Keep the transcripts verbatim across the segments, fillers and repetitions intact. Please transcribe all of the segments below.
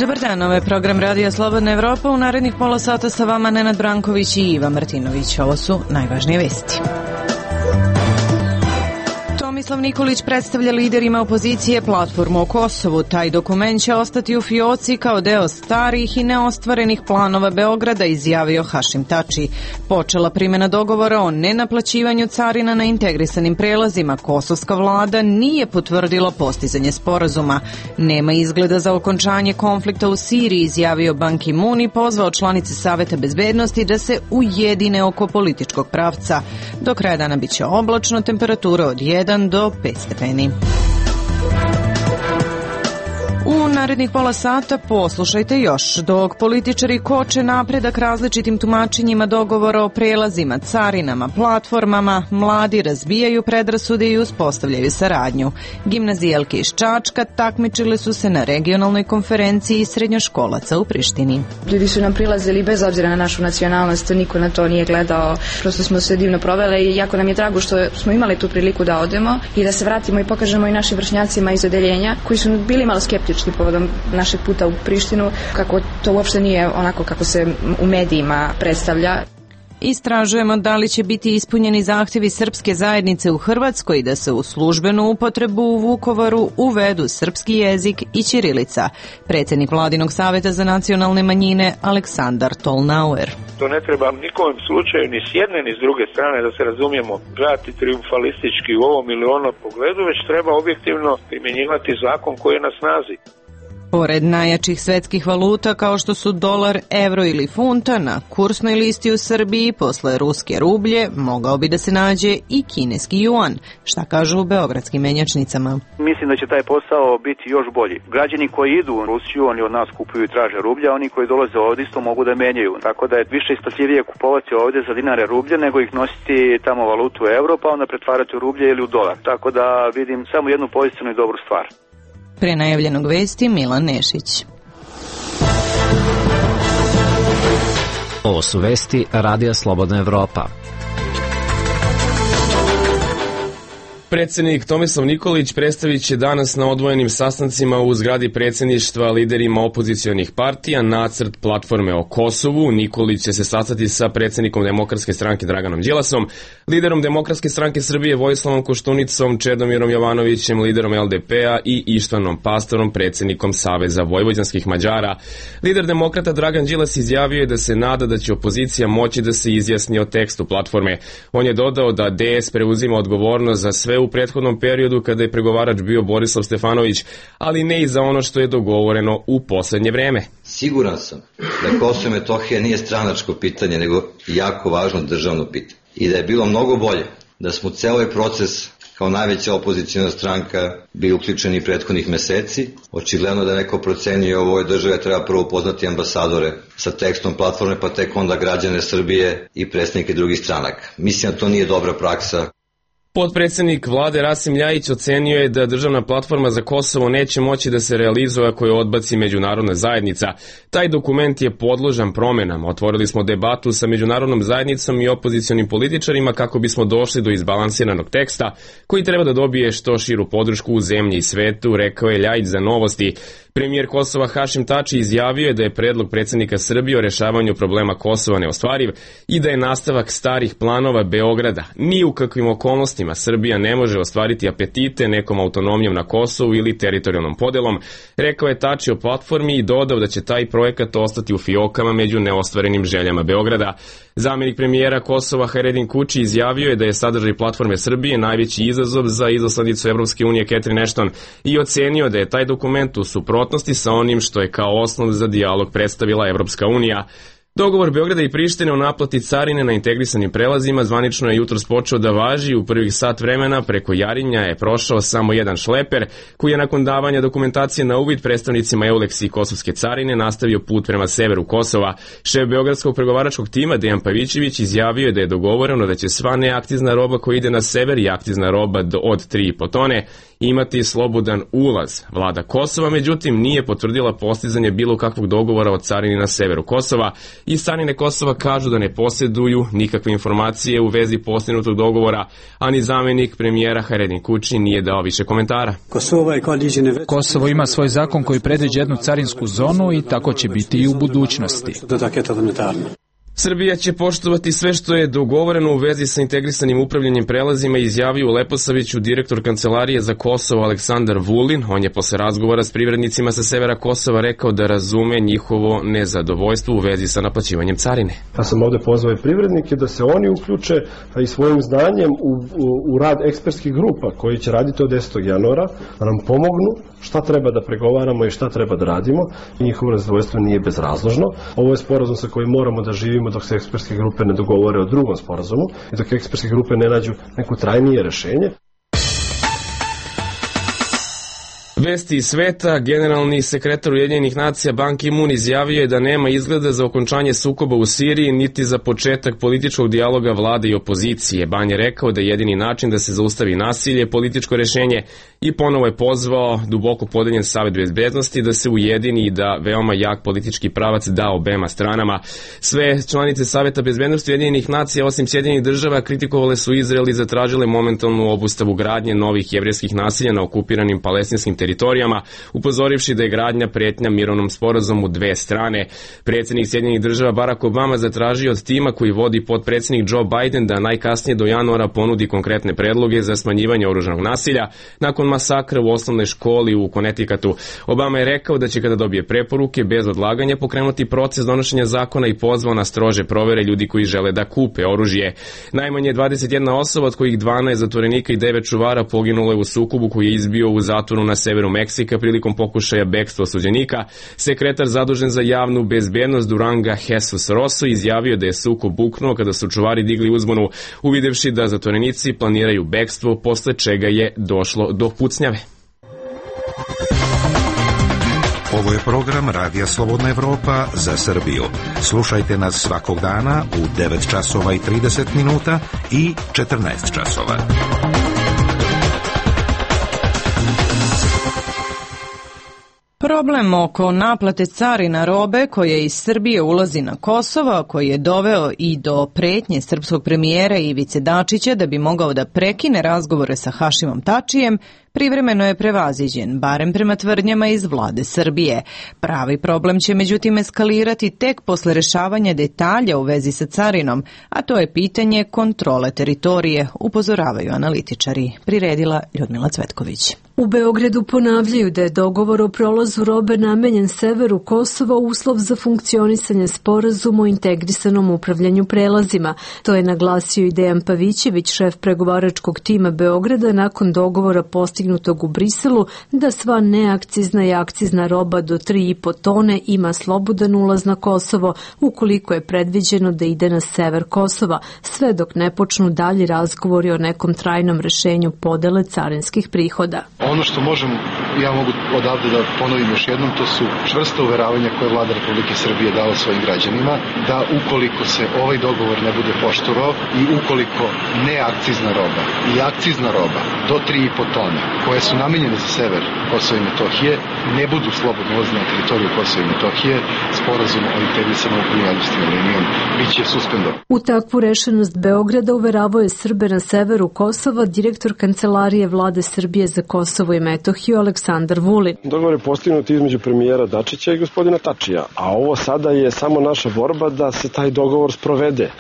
Dobar dan, ovo je program Radija Slobodna Evropa. U narednih pola sata sa vama Nenad Branković i Iva Martinović. Ovo su najvažnije vesti. Tomislav Nikolić predstavlja liderima opozicije platformu o Kosovu. Taj dokument će ostati u fioci kao deo starih i neostvarenih planova Beograda, izjavio Hašim Tači. Počela primjena dogovora o nenaplaćivanju carina na integrisanim prelazima. Kosovska vlada nije potvrdila postizanje sporazuma. Nema izgleda za okončanje konflikta u Siriji, izjavio Ban Ki-moon i pozvao članice Saveta bezbednosti da se ujedine oko političkog pravca. Do kraja dana biće oblačno, temperatura od jedan do pet stepeni. U narednih pola sata poslušajte još. Dok političari koče napredak različitim tumačenjima dogovora o prelazima, carinama, platformama, mladi razbijaju predrasude i uspostavljaju saradnju. Gimnazijalke iz Čačka takmičile su se na regionalnoj konferenciji srednjoškolaca u Prištini. Ljudi su nam prilazili bez obzira na našu nacionalnost, niko na to nije gledao. Prosto smo se divno provele i jako nam je drago što smo imali tu priliku da odemo i da se vratimo i pokažemo i našim vršnjacima iz odeljenja koji su bili malo skeptični povodom našeg puta u Prištinu, kako to uopšte nije onako kako se u medijima predstavlja. Istražujemo da li će biti ispunjeni zahtjevi srpske zajednice u Hrvatskoj da se u službenu upotrebu u Vukovaru uvedu srpski jezik i ćirilica. Predsjednik Vladinog saveta za nacionalne manjine Aleksandar Tolnauer. To ne treba nikom slučaju ni s jedne ni s druge strane, da se razumijemo, gledati triumfalistički u ovom ili onom pogledu, već treba objektivno primjenjivati zakon koji je na snazi. Pored najjačih svetskih valuta kao što su dolar, evro ili funta, na kursnoj listi u Srbiji posle ruske rublje mogao bi da se nađe i kineski juan. Šta kažu u beogradskim menjačnicama? Mislim da će taj posao biti još bolji. Građani koji idu u Rusiju, oni od nas kupuju i traže rublja, oni koji dolaze ovdje isto mogu da menjaju. Tako da je više isplativije kupovati ovdje za dinare rublje nego ih nositi tamo valutu euro pa onda pretvarati u rublje ili u dolar. Tako da vidim samo jednu pozitivnu i dobru stvar. Pre najavljenog vesti Milan Nešić. Ovo su vesti Radija Slobodna Evropa. Predsjednik Tomislav Nikolić predstavit će danas na odvojenim sastancima u zgradi predsjedništva liderima opozicionih partija nacrt platforme o Kosovu. Nikolić će se sastati sa predsjednikom Demokratske stranke Draganom Đilasom, liderom Demokratske stranke Srbije Vojislavom Koštunicom, Čedomirom Jovanovićem, liderom el de pe-a i Ištvanom Pastorom, predsjednikom Saveza vojvođanskih Mađara. Lider Demokrata Dragan Đilas izjavio je da se nada da će opozicija moći da se izjasni o tekstu platforme. On je dodao da de es preuzima odgovornost za sve u prethodnom periodu kada je pregovarač bio Borislav Stefanović, ali ne i za ono što je dogovoreno u poslednje vreme. Siguran sam da Kosovo i Metohija nije stranačko pitanje, nego jako važno državno pitanje. I da je bilo mnogo bolje da smo u celoj proces kao najveća opozicijna stranka bili uključeni prethodnih meseci. Očigledno da neko procenio u ovoj državi treba prvo upoznati ambasadore sa tekstom platforme, pa tek onda građane Srbije i predstavnike drugih stranaka. Mislim da to nije dobra praksa. Potpredsjednik vlade Rasim Ljajić ocenio je da državna platforma za Kosovo neće moći da se realizuje ako je odbaci međunarodna zajednica. Taj dokument je podložan promenama. Otvorili smo debatu sa međunarodnom zajednicom i opozicionim političarima kako bismo došli do izbalansiranog teksta koji treba da dobije što širu podršku u zemlji i svetu, rekao je Ljajić za Novosti. Premijer Kosova Hašim Tači izjavio je da je predlog predsjednika Srbije o rešavanju problema Kosova neostvariv i da je nastavak starih planova Beograda. Ni u kakvim okolnostima Srbija ne može ostvariti apetite nekom autonomijom na Kosovu ili teritorijalnom podelom, rekao je Tači o platformi i dodao da će taj projekat ostati u fiokama među neostvarenim željama Beograda. Zamjenik premijera Kosova Haredin Kuči izjavio je da je sadržaj platforme Srbije najveći izazov za izaslanicu Evropske unije Catherine Ashton i ocenio da je taj dokument u suprotnosti sa onim što je kao osnov za dijalog predstavila Evropska unija. Dogovor Beograda i Prištine o naplati carine na integrisanim prelazima zvanično je jutros počeo da važi. U prvih sat vremena preko Jarinja je prošao samo jedan šleper koji je nakon davanja dokumentacije na uvid predstavnicima Euleks i Kosovske carine nastavio put prema severu Kosova. Šef beogradskog pregovaračkog tima Dejan Pavićević izjavio je da je dogovoreno da će sva neakcizna roba koja ide na sever i akcizna roba od tri i po tone imati slobodan ulaz. Vlada Kosova, međutim, nije potvrdila postizanje bilo kakvog dogovora o carini na severu Kosova i s carine Kosova kažu da ne posjeduju nikakve informacije u vezi postignutog dogovora, a ni zamjenik premijera Haredin Kuči nije dao više komentara. Kosovo ima svoj zakon koji predviđa jednu carinsku zonu i tako će biti i u budućnosti. Srbija će poštovati sve što je dogovoreno u vezi sa integrisanim upravljanjem prelazima, izjavio u Leposaviću direktor Kancelarije za Kosovo Aleksandar Vulin. On je posle razgovora s privrednicima sa severa Kosova rekao da razume njihovo nezadovoljstvo u vezi sa naplaćivanjem carine. Ja sam ovde pozvao i privrednike da se oni uključe i svojim znanjem u, u, u rad ekspertskih grupa koji će raditi od desetog januara, da nam pomognu šta treba da pregovaramo i šta treba da radimo. Njihovo nezadovoljstvo nije bezrazložno. Ovo je sporazum sa kojim moramo da živimo dok se ekspertske grupe ne dogovore o drugom sporazumu i dok ekspertske grupe ne nađu neko trajnije rešenje. Vesti iz sveta, generalni sekretar Ujedinjenih nacija Ban Ki-moon izjavio je da nema izgleda za okončanje sukoba u Siriji niti za početak političkog dijaloga vlade i opozicije. Ban je rekao da je jedini način da se zaustavi nasilje političko rešenje i ponovo je pozvao duboko podeljen Savet bezbednosti da se ujedini i da veoma jak politički pravac da obema stranama. Sve članice Saveta bezbednosti Ujedinjenih nacija osim Sjedinjenih država kritikovale su Izrael i zatražile momentalnu obustavu gradnje novih jevrejskih naselja na okupiranim palestinskim teritorijama, upozorivši da je gradnja pretnja mirovnom sporazumu dve strane. Predsjednik Sjedinjenih država Barack Obama zatražio od tima koji vodi potpredsjednik Joe Biden da najkasnije do januara ponudi konkretne predloge za smanjivanje oružanog nasilja nakon masakra u osnovnoj školi u Connecticutu. Obama je rekao da će kada dobije preporuke bez odlaganja pokrenuti proces donošenja zakona i pozvao na strože provere ljudi koji žele da kupe oružje. Najmanje dvadeset jedna osoba, od kojih dvanaest zatvorenika i devet čuvara poginulo je u sukobu koji je izbio u zatvoru na severu Meksika prilikom pokušaja bekstva osuđenika. Sekretar zadužen za javnu bezbednost Duranga Jesus Rosso izjavio da je sukob buknuo kada su čuvari digli uzbunu, uvidevši da zatvorenici planiraju bekstvo, posle čega je došlo do pucnjave. Ovo je program Radija Slobodna Evropa za Srbiju. Slušajte nas svakog dana u devet časova i trideset minuta i četrnaest časova. Problem oko naplate carina robe koje iz Srbije ulazi na Kosovo, koji je doveo i do pretnje srpskog premijera Ivice Dačića da bi mogao da prekine razgovore sa Hašimom Tačijem, privremeno je prevaziđen, barem prema tvrdnjama iz vlade Srbije. Pravi problem će međutim eskalirati tek posle rešavanja detalja u vezi sa carinom, a to je pitanje kontrole teritorije, upozoravaju analitičari. Priredila Ljudmila Cvetković. U Beogradu ponavljaju da je dogovor o prolazu robe namenjen severu Kosova uslov za funkcionisanje sporazuma o integrisanom upravljanju prelazima. To je naglasio i Dejan Pavićević, šef pregovaračkog tima Beograda, nakon dogovora postignutog u Briselu da sva neakcizna i akcizna roba do tri i po tone ima slobodan ulaz na Kosovo, ukoliko je predviđeno da ide na sever Kosova, sve dok ne počnu dalji razgovori o nekom trajnom rešenju podele carinskih prihoda. Ono što možem, ja mogu odavde da ponovim još jednom, to su čvrsta uveravanja koje vlada Republike Srbije dala svojim građanima, da ukoliko se ovaj dogovor ne bude poštovao i ukoliko neakcizna roba i akcizna roba do tri i po tone, koje su namenjene za sever Kosova i Metohije, ne budu slobodno ulazne na teritoriju Kosova i Metohije, sporazum o integrisanom upravljanju administrativnom linijom biće suspendovan. U takvu rešenost Beograda uveravao je Srbe na severu Kosova direktor Kancelarije vlade Srbije za Kosovo i Metohiju Aleksandar Vulin. Dogovor je postignut između premijera Dačića i gospodina Tačija, a ovo sada je samo naša borba da se taj dogovor sprovede,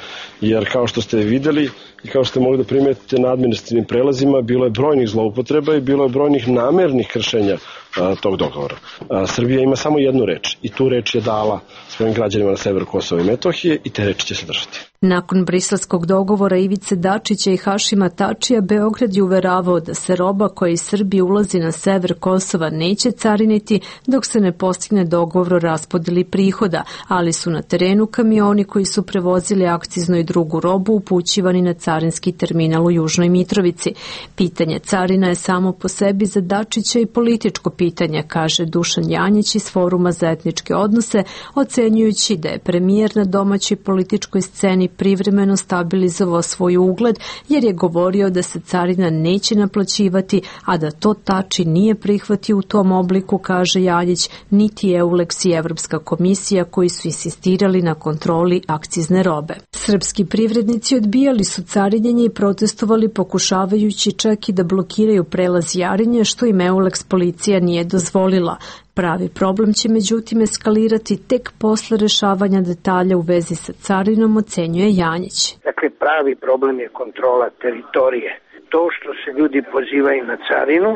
jer kao što ste videli i kao što ste mogli da primetite na administrativnim prelazima, bilo je brojnih zloupotreba i bilo je brojnih namernih kršenja a, tog dogovora. A, Srbija ima samo jednu reč i tu reč je dala svojim građanima na severu Kosova i Metohije i te reči će se držati. Nakon briselskog dogovora Ivice Dačića i Hašima Tačija, Beograd je uveravao da se roba koja iz Srbije ulazi na sever Kosova neće cariniti dok se ne postigne dogovor o raspodeli prihoda, ali su na terenu kamioni koji su prevozili akciznu i drugu robu upućivani na carinski terminal u Južnoj Mitrovici. Pitanje carina je samo po sebi za Dačića i političko pitanje, kaže Dušan Janjić iz Foruma za etničke odnose, ocenjujući da je premijer na domaćoj političkoj sceni privremeno stabilizovao svoj ugled jer je govorio da se carina neće naplaćivati, a da to Tači nije prihvatio u tom obliku, kaže Jaljić, niti Euleks i Evropska komisija koji su insistirali na kontroli akcizne robe. Srpski privrednici odbijali su carinjenje i protestovali pokušavajući čak i da blokiraju prelaz Jarinje, što im Euleks policija nije dozvolila. Pravi problem će međutim eskalirati tek posle rešavanja detalja u vezi sa carinom, ocenjuje Janjić. Dakle, pravi problem je kontrola teritorije. To što se ljudi pozivaju na carinu,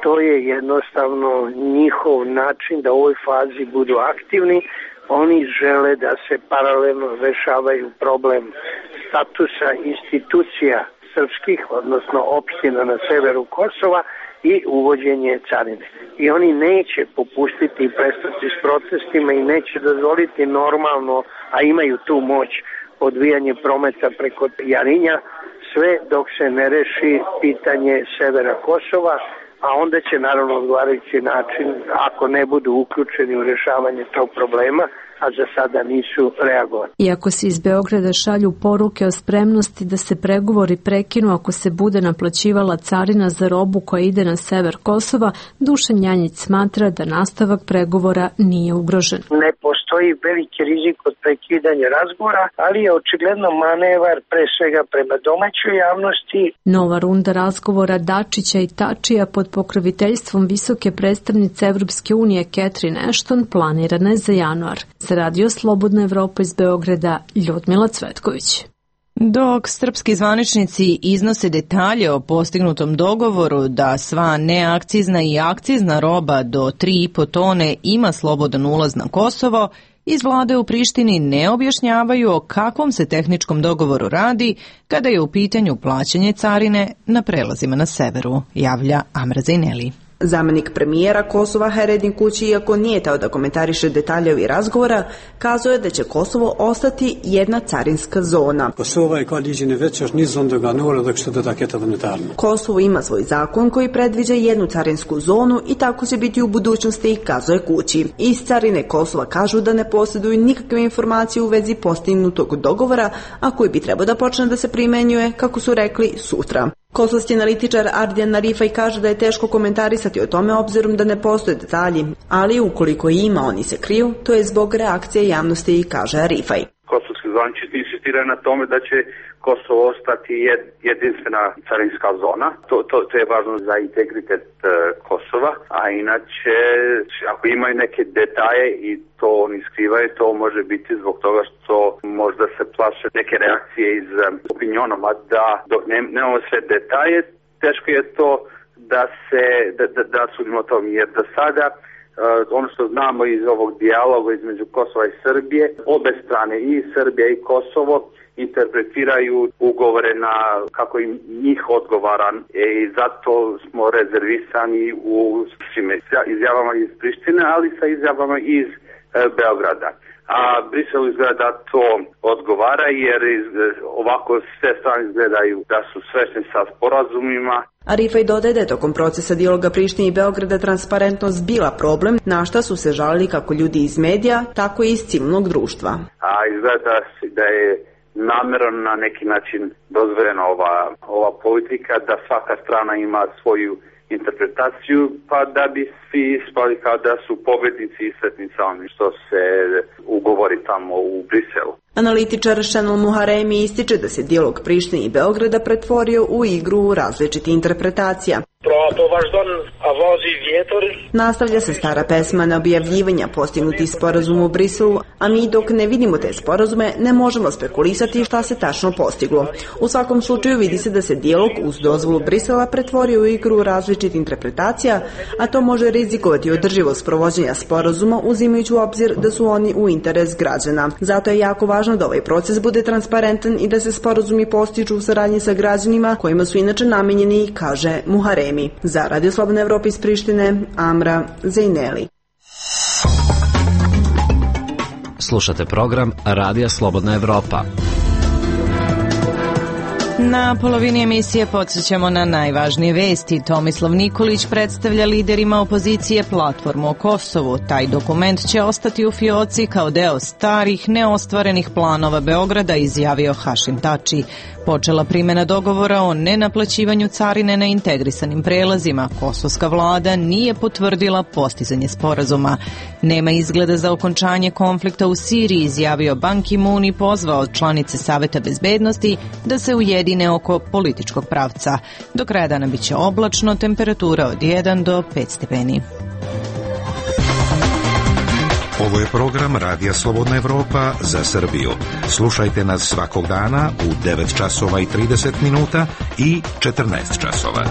to je jednostavno njihov način da u ovoj fazi budu aktivni. Oni žele da se paralelno rešavaju problem statusa institucija srpskih, odnosno opština na severu Kosova, i uvođenje carine. I oni neće popustiti i prestati s protestima i neće dozvoliti normalno, a imaju tu moć, odvijanje prometa preko Jarinja, sve dok se ne reši pitanje severa Kosova, a onda će naravno odgovarajući način, ako ne budu uključeni u rešavanje tog problema, a za sada nisu reagovali. Iako se iz Beograda šalju poruke o spremnosti da se pregovori prekinu ako se bude naplaćivala carina za robu koja ide na sever Kosova, Dušan Janjić smatra da nastavak pregovora nije ugrožen. Ne postoji veliki rizik od prekidanja razgovora, ali je očigledno manevar pre svega prema domaćoj javnosti. Nova runda razgovora Dačića i Tačija pod pokroviteljstvom visoke predstavnice Evropske unije Catherine Ashton planirana je za januar. Za Radio Slobodna Evropa iz Beograda, Ljudmila Cvetković. Dok srpski zvaničnici iznose detalje o postignutom dogovoru da sva neakcizna i akcizna roba do tri i po tone ima slobodan ulaz na Kosovo, iz vlade u Prištini ne objašnjavaju o kakvom se tehničkom dogovoru radi kada je u pitanju plaćanje carine na prelazima na severu, javlja Amra Zajneli. Zamenik premijera Kosova Haredin Kući, iako nije teo da komentariše detalje ovih razgovora, kazuje da će Kosovo ostati jedna carinska zona. Kosovo ima svoj zakon koji predviđa jednu carinsku zonu i tako će biti u budućnosti, kazuje Kući. Iz carine Kosova kažu da ne posjeduju nikakve informacije u vezi postignutog dogovora, a koji bi trebao da počne da se primenjuje, kako su rekli, sutra. Kosovski analitičar Ardijan Narifaj kaže da je teško komentarisati o tome obzirom da ne postoje detalji, ali ukoliko ima oni se kriju, to je zbog reakcije javnosti, kaže Arifaj. Kosovski zvaničnici insistiraju na tome da će Kosovo ostati jed, jedinstvena carinska zona. To, to, to je važno za integritet uh, Kosova, a inače ako imaju neke detalje i to oni skrivaju, to može biti zbog toga što možda se plaše neke reakcije iz um, opinionoma, da dok ne, nemamo sve detalje, teško je to da se da, da, da sudimo o tom, jer do sada Uh, ono što znamo iz ovog dijaloga između Kosova i Srbije, obe strane, i Srbija i Kosovo, interpretiraju ugovore na kako im njih odgovara i zato smo rezervisani u svim izjavama iz Prištine, ali sa izjavama iz uh, Beograda. A Briselu izgleda da to odgovara jer iz, ovako sve strane izgledaju da su svesni sa sporazumima. Arifaj dodaje da je tokom procesa dijaloga Prištine i Beograda transparentnost bila problem, na šta su se žalili kako ljudi iz medija, tako i iz civilnog društva. A izgleda da je namjerno na neki način dozvoljena ova, ova politika, da svaka strana ima svoju interpretaciju, pa da bi svi ispali kao da su pobednici i sretnici oni što se ugovori tamo u Briselu. Analitičar Šenol Muharemi ističe da se dijalog Prištine i Beograda pretvorio u igru različitih interpretacija. Nastavlja se stara pesma na objavljivanja postignutih sporazuma u Briselu, a mi dok ne vidimo te sporazume ne možemo spekulisati šta se tačno postiglo. U svakom slučaju vidi se da se dijalog uz dozvolu Brisela pretvorio u igru različitih interpretacija, a to može rizikovati održivost provođenja sporazuma uzimajući u obzir da su oni u interes građana. Zato je jako važno da ovaj proces bude transparentan i da se sporazumi postižu u saradnji sa građanima kojima su inače namenjeni, kaže Muharemi. Za Radio Slobodna Evropa iz Prištine, Amra Zajneli. Slušate program Radija Slobodna Evropa. Na polovini emisije podsjećamo na najvažnije vesti. Tomislav Nikolić predstavlja liderima opozicije platformu o Kosovu. Taj dokument će ostati u fioci kao deo starih, neostvarenih planova Beograda, izjavio Hašim Tači. Počela primjena dogovora o nenaplaćivanju carine na integrisanim prelazima. Kosovska vlada nije potvrdila postizanje sporazuma. Nema izgleda za okončanje konflikta u Siriji, izjavio Ban Ki-moon i pozvao članice Saveta bezbednosti da se ujedine oko političkog pravca. Do kraja dana biće oblačno, temperatura od jedan do pet stepeni. Ovo je program Radija Slobodna Evropa za Srbiju. Slušajte nas svakog dana u devet časova i trideset minuta i četrnaest časova.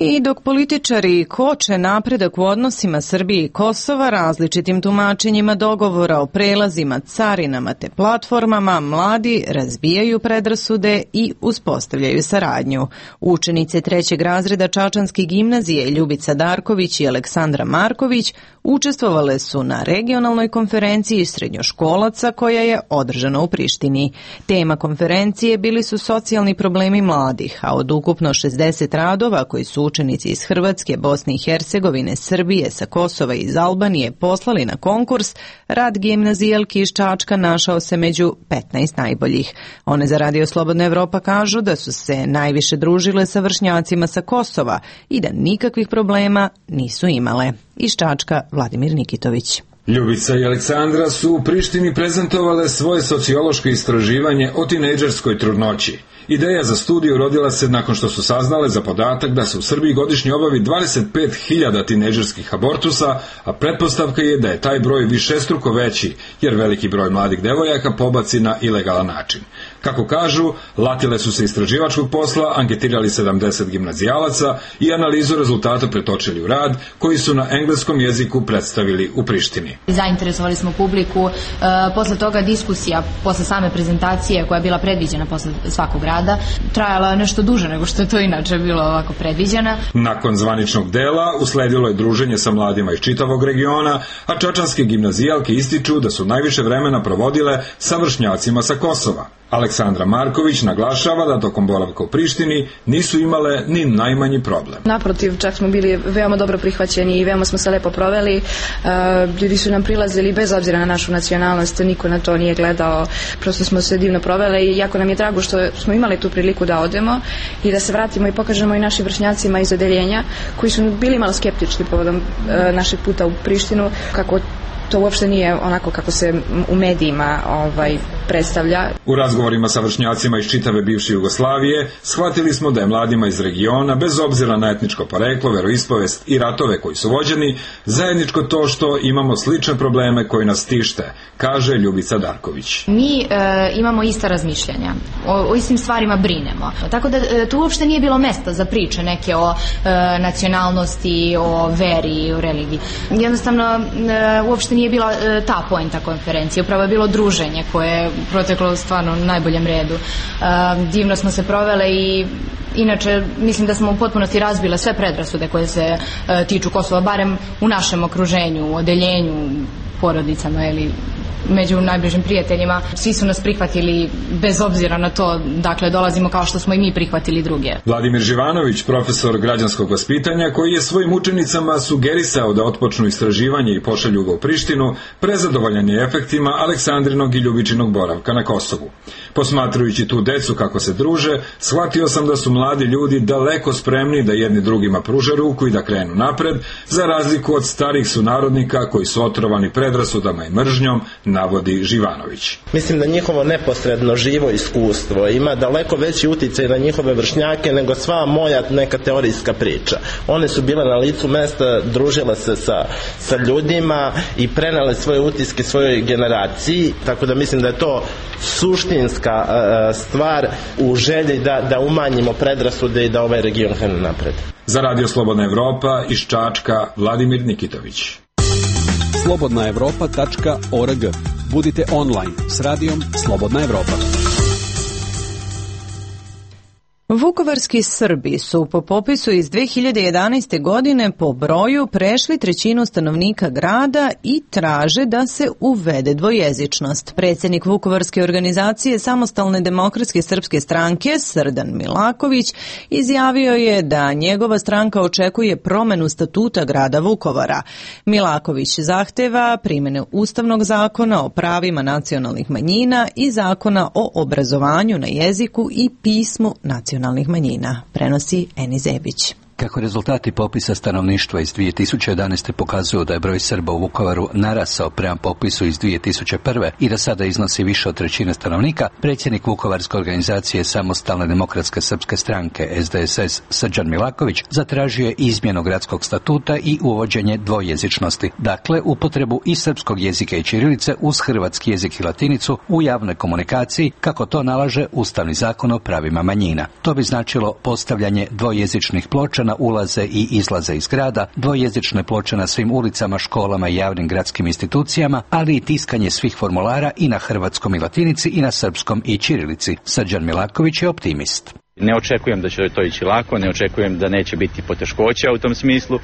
I dok političari koče napredak u odnosima Srbije i Kosova različitim tumačenjima dogovora o prelazima, carinama te platformama, mladi razbijaju predrasude i uspostavljaju saradnju. Učenice trećeg razreda Čačanske gimnazije Ljubica Darković i Aleksandra Marković učestvovale su na regionalnoj konferenciji srednjoškolaca koja je održana u Prištini. Tema konferencije bili su socijalni problemi mladih, a od ukupno šezdeset radova koji su učenici iz Hrvatske, Bosne i Hercegovine, Srbije, sa Kosova i iz Albanije poslali na konkurs, rad gimnazijalki iz Čačka našao se među petnaest najboljih. One za Radio Slobodna Evropa kažu da su se najviše družile sa vršnjacima sa Kosova i da nikakvih problema nisu imale. Iz Čačka Vladimir Nikitović. Ljubica i Aleksandra su u Prištini prezentovale svoje sociološko istraživanje o tinejdžerskoj trudnoći. Ideja za studiju rodila se nakon što su saznale za podatak da se u Srbiji godišnje obavi dvadeset pet hiljada tinejdžerskih abortusa, a pretpostavka je da je taj broj višestruko veći, jer veliki broj mladih devojaka pobaci na ilegalan način. Kako kažu, latile su se istraživačkog posla, anketirali sedamdeset gimnazijalaca i analizu rezultata pretočili u rad, koji su na engleskom jeziku predstavili u Prištini. Zainteresovali smo publiku, e, posle toga diskusija, posle same prezentacije koja je bila predviđena posle svakog rada, trajala nešto duže nego što je to inače bilo ovako predviđena. Nakon zvaničnog dela usledilo je druženje sa mladima iz čitavog regiona, a čačanske gimnazijalke ističu da su najviše vremena provodile sa vršnjacima sa Kosova. Aleksandra Marković naglašava da tokom boravka u Prištini nisu imale ni najmanji problem. Naprotiv, čak smo bili veoma dobro prihvaćeni i veoma smo se lepo proveli. Ljudi su nam prilazili bez obzira na našu nacionalnost, niko na to nije gledao, prosto smo se divno provele i jako nam je drago što smo imali tu priliku da odemo i da se vratimo i pokažemo i našim vršnjacima iz odeljenja koji su bili malo skeptični povodom našeg puta u Prištinu, kako to uopšte nije onako kako se u medijima ovaj, predstavlja. U razgovorima sa vršnjacima iz čitave bivše Jugoslavije shvatili smo da je mladima iz regiona, bez obzira na etničko poreklo, veroispovest i ratove koji su vođeni, zajedničko to što imamo slične probleme koji nas tište, kaže Ljubica Darković. Mi e, imamo ista razmišljanja, o, o istim stvarima brinemo. Tako da e, tu uopšte nije bilo mesta za priče neke o e, nacionalnosti, o veri, o religiji. Jednostavno, e, uopšte nije bila e, ta poenta konferencije, upravo je bilo druženje koje je proteklo stvarno u najboljem redu. E, divno smo se provele i inače mislim da smo u potpunosti razbile sve predrasude koje se e, tiču Kosova, barem u našem okruženju, u odeljenju, porodicama ili među najbližim prijateljima. Svi su nas prihvatili bez obzira na to, dakle dolazimo kao što smo i mi prihvatili druge. Vladimir Živanović, profesor građanskog vaspitanja, koji je svojim učenicama sugerisao da otpočnu istraživanje i pošalju ga u Prištinu, prezadovoljan je efektima Aleksandrinog i Ljubičinog boravka na Kosovu. Posmatrajući tu decu kako se druže, shvatio sam da su mladi ljudi daleko spremni da jedni drugima pruže ruku i da krenu napred, za razliku od starih sunarodnika koji su otrovani predrasudama i mržnjom, navodi Živanović. Mislim da njihovo neposredno živo iskustvo ima daleko veći uticaj na njihove vršnjake nego sva moja neka teorijska priča. One su bile na licu mesta, družile se sa, sa ljudima i prenele svoje utiske svojoj generaciji, tako da mislim da je to suštinska uh, stvar u želji da, da umanjimo predrasude i da ovaj region krene napred. Za Radio Slobodna Evropa iz Čačka Vladimir Nikitović. slobodna evropa tačka org. Budite online s radijom Slobodna Evropa. Vukovarski Srbi su po popisu iz dve hiljade jedanaeste. godine po broju prešli trećinu stanovnika grada i traže da se uvede dvojezičnost. Predsjednik Vukovarske organizacije Samostalne demokratske srpske stranke Srdan Milaković izjavio je da njegova stranka očekuje promenu statuta grada Vukovara. Milaković zahteva primjenu Ustavnog zakona o pravima nacionalnih manjina i zakona o obrazovanju na jeziku i pismu nacionalnih manjina, prenosi Eni Zebić. Kako rezultati popisa stanovništva iz dvije tisuće jedanaeste. pokazuju da je broj Srba u Vukovaru narasao prema popisu iz dvije tisuće prve. i da sada iznosi više od trećine stanovnika, predsjednik Vukovarske organizacije Samostalne demokratske srpske stranke S D S S Srđan Milaković zatražio je izmjenu gradskog statuta i uvođenje dvojezičnosti, dakle upotrebu i srpskog jezika i ćirilice uz hrvatski jezik i latinicu u javnoj komunikaciji, kako to nalaže Ustavni zakon o pravima manjina. To bi značilo postavljanje dvojezičnih ploča na ulaze i izlaze iz grada, dvojezične ploče na svim ulicama, školama i javnim gradskim institucijama, ali i tiskanje svih formulara i na hrvatskom i latinici i na srpskom i ćirilici. Srđan Milaković je optimist. Ne očekujem da će to ići lako, ne očekujem da neće biti poteškoća u tom smislu,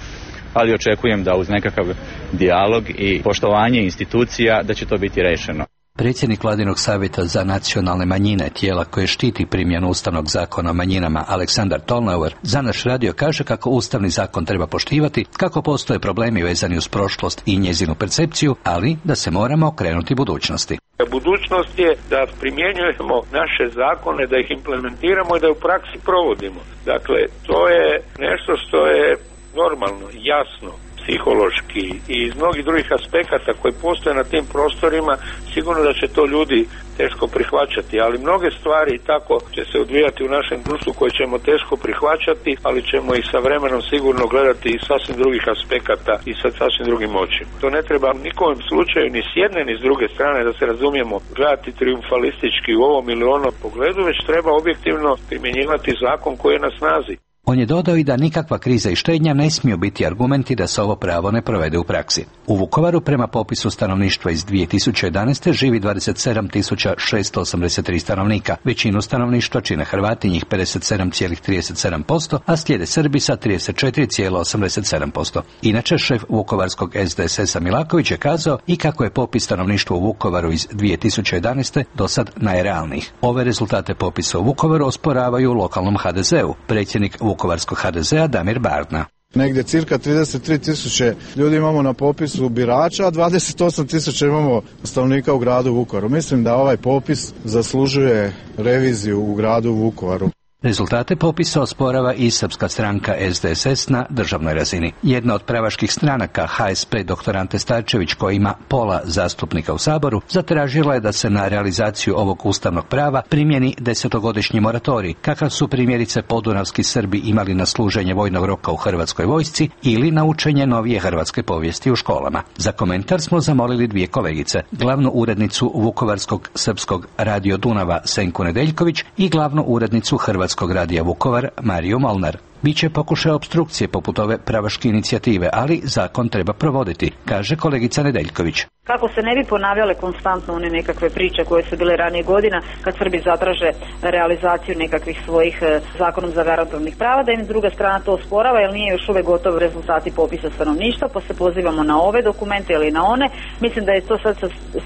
ali očekujem da uz nekakav dijalog i poštovanje institucija da će to biti rešeno. Predsjednik Vladinog savjeta za nacionalne manjine, tijela koje štiti primjenu Ustavnog zakona o manjinama, Aleksandar Tolnauer, za naš radio kaže kako Ustavni zakon treba poštivati, kako postoje problemi vezani uz prošlost i njezinu percepciju, ali da se moramo okrenuti budućnosti. Budućnost je da primjenjujemo naše zakone, da ih implementiramo i da u praksi provodimo. Dakle, to je nešto što je normalno, jasno, psihološki i iz mnogih drugih aspekata koji postoje na tim prostorima, sigurno da će to ljudi teško prihvaćati, ali mnoge stvari tako će se odvijati u našem društvu koje ćemo teško prihvaćati, ali ćemo ih sa vremenom sigurno gledati iz sasvim drugih aspekata i sa sasvim drugim očima. To ne treba nikom slučaju ni s jedne ni s druge strane, da se razumijemo, gledati triumfalistički u ovom ili onom pogledu, već treba objektivno primjenjivati zakon koji je na snazi. On je dodao i da nikakva kriza i štednja ne smiju biti argumenti da se ovo pravo ne provede u praksi. U Vukovaru prema popisu stanovništva iz dvije tisuće jedanaeste. živi dvadeset sedam tisuća šesto osamdeset tri stanovnika. Većinu stanovništva čine Hrvati, njih pedeset sedam zarez trideset sedam posto, a slijede Srbi sa trideset četiri zarez osamdeset sedam posto. Inače, šef vukovarskog S D S S-a Milaković je kazao i kako je popis stanovništva u Vukovaru iz dvije tisuće jedanaeste. do sad najrealnijih. Ove rezultate popisa u Vukovaru osporavaju lokalnom H D Z-u. Predsjednik Vukovarskog H D Z-a Damir Bardna. Negdje cirka trideset tri tisuće ljudi imamo na popisu birača, a dvadeset osam tisuća imamo stanovnika u gradu Vukovaru. Mislim da ovaj popis zaslužuje reviziju u gradu Vukovaru. Rezultate popisa osporava i srpska stranka S D S S na državnoj razini. Jedna od pravaških stranaka, H S P dr Ante Starčević, koja ima pola zastupnika u Saboru, zatražila je da se na realizaciju ovog ustavnog prava primjeni desetogodišnji moratorij, kakav su primjerice podunavski Srbi imali na služenje vojnog roka u Hrvatskoj vojsci ili na učenje novije hrvatske povijesti u školama. Za komentar smo zamolili dvije kolegice, glavnu urednicu Vukovarskog srpskog radio Dunava Senku Nedeljković i glavnu urednicu Hrvatskog radija Vukovar Mariju Molnar. Biće pokušaj opstrukcije poput ove pravaške inicijative, ali zakon treba provoditi, kaže kolegica Nedeljković. Kako se ne bi ponavljale konstantno one nekakve priče koje su bile ranije godina kad Srbi zatraže realizaciju nekakvih svojih zakonom zagarantovanih prava, da im druga strana to osporava jer nije još uvek gotov rezultati popisa stanovništva, pa se pozivamo na ove dokumente ili na one. Mislim da je to sad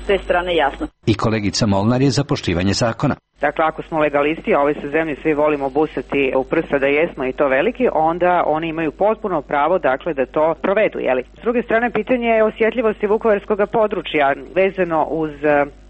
s te strane jasno. I kolegica Molnar je za poštivanje zakona. Dakle, ako smo legalisti, a ove se zemlje svi volimo busati u prsa da jesmo i to veliki, onda oni imaju potpuno pravo, dakle, da to provedu, jeli? S druge strane, pitanje je osjetljivosti vukovarskog područja vezano uz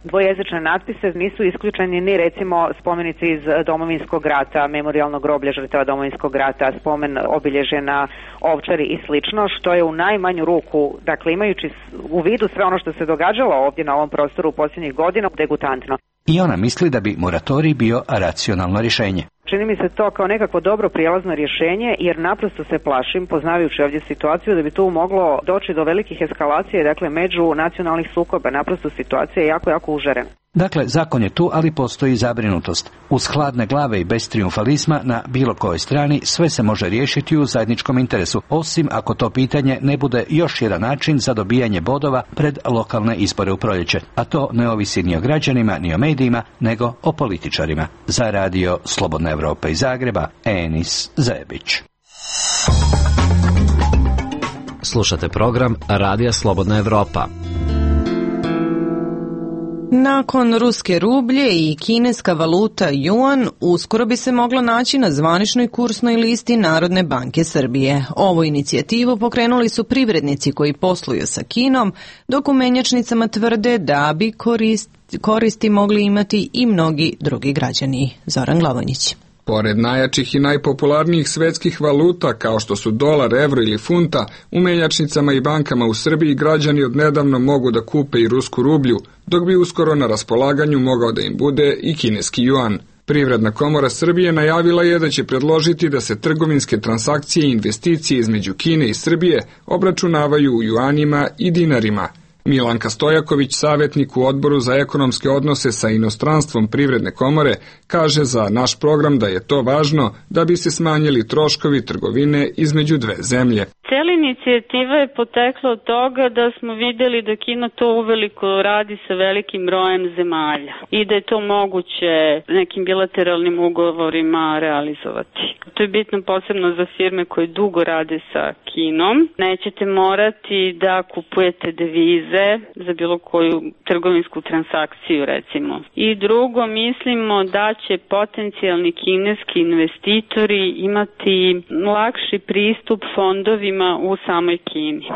dvojezične natpise. Nisu isključeni ni recimo spomenici iz Domovinskog rata, memorijalnog groblja žrtava Domovinskog rata, spomen obilježje na Ovčari i slično, što je u najmanju ruku, dakle, imajući u vidu sve ono što se događalo ovdje na ovom prostoru u posljednjih godina, degutantno. I ona misli da bi moratorij bio racionalno rješenje. Čini mi se to kao nekako dobro prijelazno rješenje, jer naprosto se plašim, poznavajući ovdje situaciju, da bi tu moglo doći do velikih eskalacije, dakle, među nacionalnih sukoba. Naprosto situacija je jako, jako užarena. Dakle, zakon je tu, ali postoji zabrinutost. Uz hladne glave i bez trijumfalizma na bilo kojoj strani sve se može riješiti u zajedničkom interesu, osim ako to pitanje ne bude još jedan način za dobijanje bodova pred lokalne izbore u proljeće. A to ne ovisi ni o građanima, ni o medijima, nego o političarima. Za radio Slobodna Evropa iz Zagreba, Enis Zebić. Slušate program Radija Slobodna Evropa. Nakon ruske rublje i kineska valuta juan, uskoro bi se mogla naći na zvaničnoj kursnoj listi Narodne banke Srbije. Ovu inicijativu pokrenuli su privrednici koji posluju sa Kinom, dok u menjačnicama tvrde da bi korist, koristi mogli imati i mnogi drugi građani. Zoran Glavonjić. Pored najjačih i najpopularnijih svetskih valuta kao što su dolar, evro ili funta, u menjačnicama i bankama u Srbiji građani odnedavno mogu da kupe i rusku rublju, dok bi uskoro na raspolaganju mogao da im bude i kineski juan. Privredna komora Srbije najavila je da će predložiti da se trgovinske transakcije i investicije između Kine i Srbije obračunavaju u juanima i dinarima. Milanka Stojaković, savjetnik u Odboru za ekonomske odnose sa inostranstvom Privredne komore, kaže za naš program da je to važno da bi se smanjili troškovi trgovine između dve zemlje. Cijela inicijativa je potekla od toga da smo vidjeli da Kina to uveliko radi sa velikim brojem zemalja i da je to moguće nekim bilateralnim ugovorima realizovati. To je bitno posebno za firme koje dugo rade sa Kinom. Nećete morati da kupujete devize za bilo koju trgovinsku transakciju, recimo. I drugo, mislimo da će potencijalni kineski investitori imati lakši pristup fondovima u samoj Kini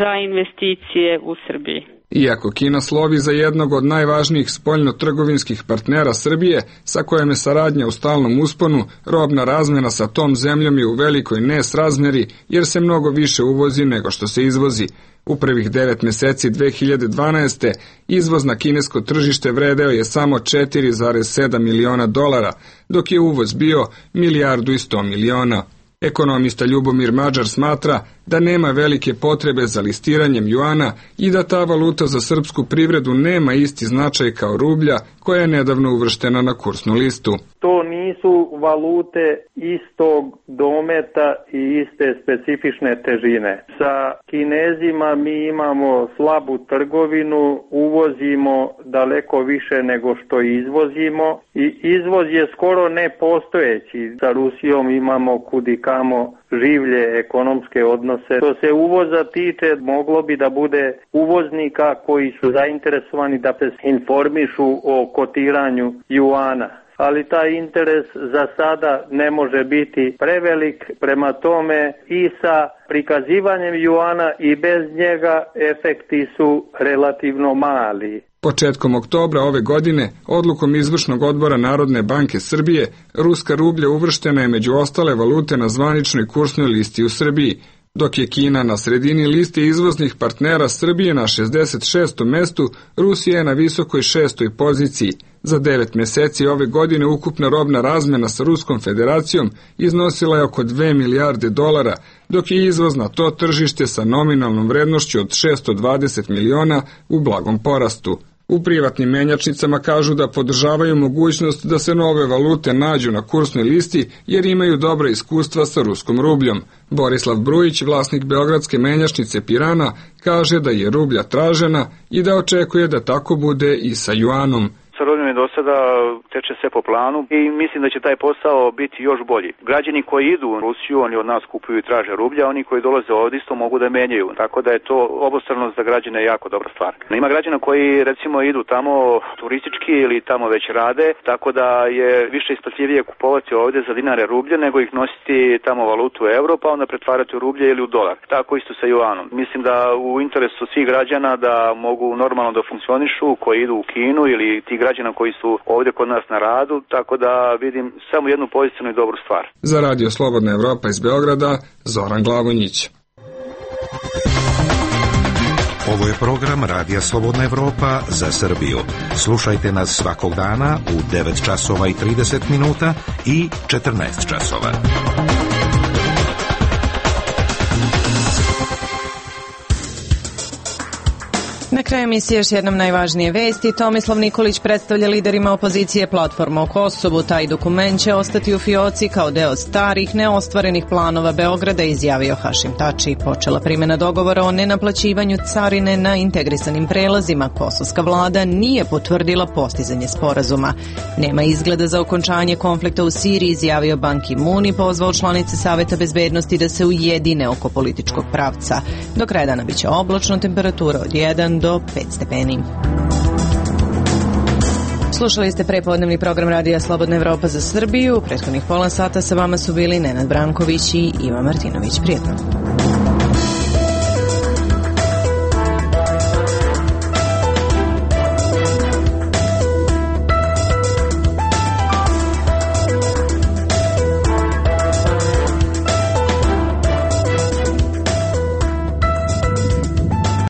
za investicije u Srbiji. Iako Kina slovi za jednog od najvažnijih spoljno-trgovinskih partnera Srbije, sa kojom je saradnja u stalnom usponu, robna razmjena sa tom zemljom je u velikoj nesrazmjeri jer se mnogo više uvozi nego što se izvozi. U prvih devet meseci dve hiljade dvanaeste. izvoz na kinesko tržište vredeo je samo četiri zarez sedam miliona dolara, dok je uvoz bio milijardu i sto miliona. Ekonomista Ljubomir Mađar smatra da nema velike potrebe za listiranjem juana i da ta valuta za srpsku privredu nema isti značaj kao rublja koja je nedavno uvrštena na kursnu listu. To nisu valute istog dometa i iste specifične težine. Sa Kinezima mi imamo slabu trgovinu, uvozimo daleko više nego što izvozimo i izvoz je skoro nepostojeći. Sa Rusijom imamo kudikamo življe ekonomske odnose. Što se uvoza tiče, moglo bi da bude uvoznika koji su zainteresovani da se informišu o kotiranju juana. Ali taj interes za sada ne može biti prevelik, prema tome i sa prikazivanjem juana i bez njega efekti su relativno mali. Početkom oktobra ove godine, odlukom izvršnog odbora Narodne banke Srbije, ruska rublja uvrštena je među ostale valute na zvaničnoj kursnoj listi u Srbiji, dok je Kina na sredini liste izvoznih partnera Srbije na šezdeset šestom mestu, Rusija je na visokoj šestoj poziciji. Za devet meseci ove godine ukupna robna razmjena sa Ruskom federacijom iznosila je oko dve milijarde dolara, dok je izvoz na to tržište sa nominalnom vrednošću od šesto dvadeset miliona u blagom porastu. U privatnim menjačnicama kažu da podržavaju mogućnost da se nove valute nađu na kursnoj listi jer imaju dobra iskustva sa ruskom rubljom. Borislav Brujić, vlasnik beogradske menjačnice Pirana, kaže da je rublja tražena i da očekuje da tako bude i sa juanom. Sa rubljom je do sada teče sve po planu i mislim da će taj posao biti još bolji. Građani koji idu u Rusiju, oni od nas kupuju i traže rublja, oni koji dolaze ovdje isto mogu da menjaju. Tako da je to obostrano za građane jako dobra stvar. Ima građana koji recimo idu tamo turistički ili tamo već rade, tako da je više isplatljivije kupovati ovdje za dinare rublje nego ih nositi tamo valutu euro pa onda pretvarati u rublje ili u dolar. Tako isto sa juanom. Mislim da u interesu svih građana da mogu normalno da funkcionišu koji idu u Kinu ili ti građana koji su ovdje kod nas na radu, tako da vidim samo jednu pozitivnu i dobru stvar. Za Radio Slobodna Evropa iz Beograda, Zoran Glavonjić. Ovo je program Radija Slobodna Evropa za Srbiju. Slušajte nas svakog dana u devet časova i trideset minuta i četrnaest časova. Na kraju emisije još jednom najvažnije vesti. Tomislav Nikolić predstavlja liderima opozicije platformu o Kosovu. Taj dokument će ostati u fioci kao deo starih, neostvarenih planova Beograda, izjavio Hašim Tači. Počela primjena dogovora o nenaplaćivanju carine na integrisanim prelazima. Kosovska vlada nije potvrdila postizanje sporazuma. Nema izgleda za okončanje konflikta u Siriji, izjavio Ban Ki-moon i pozvao članice Saveta bezbednosti da se ujedine oko političkog pravca. Do kraja dana biće oblačno, temperatura od jedan do pet stepeni. Slušali ste prepodnevni program Radija Slobodna Evropa za Srbiju. U prethodnih pola sata sa vama su bili Nenad Branković i Ivan Martinović. Prijetno.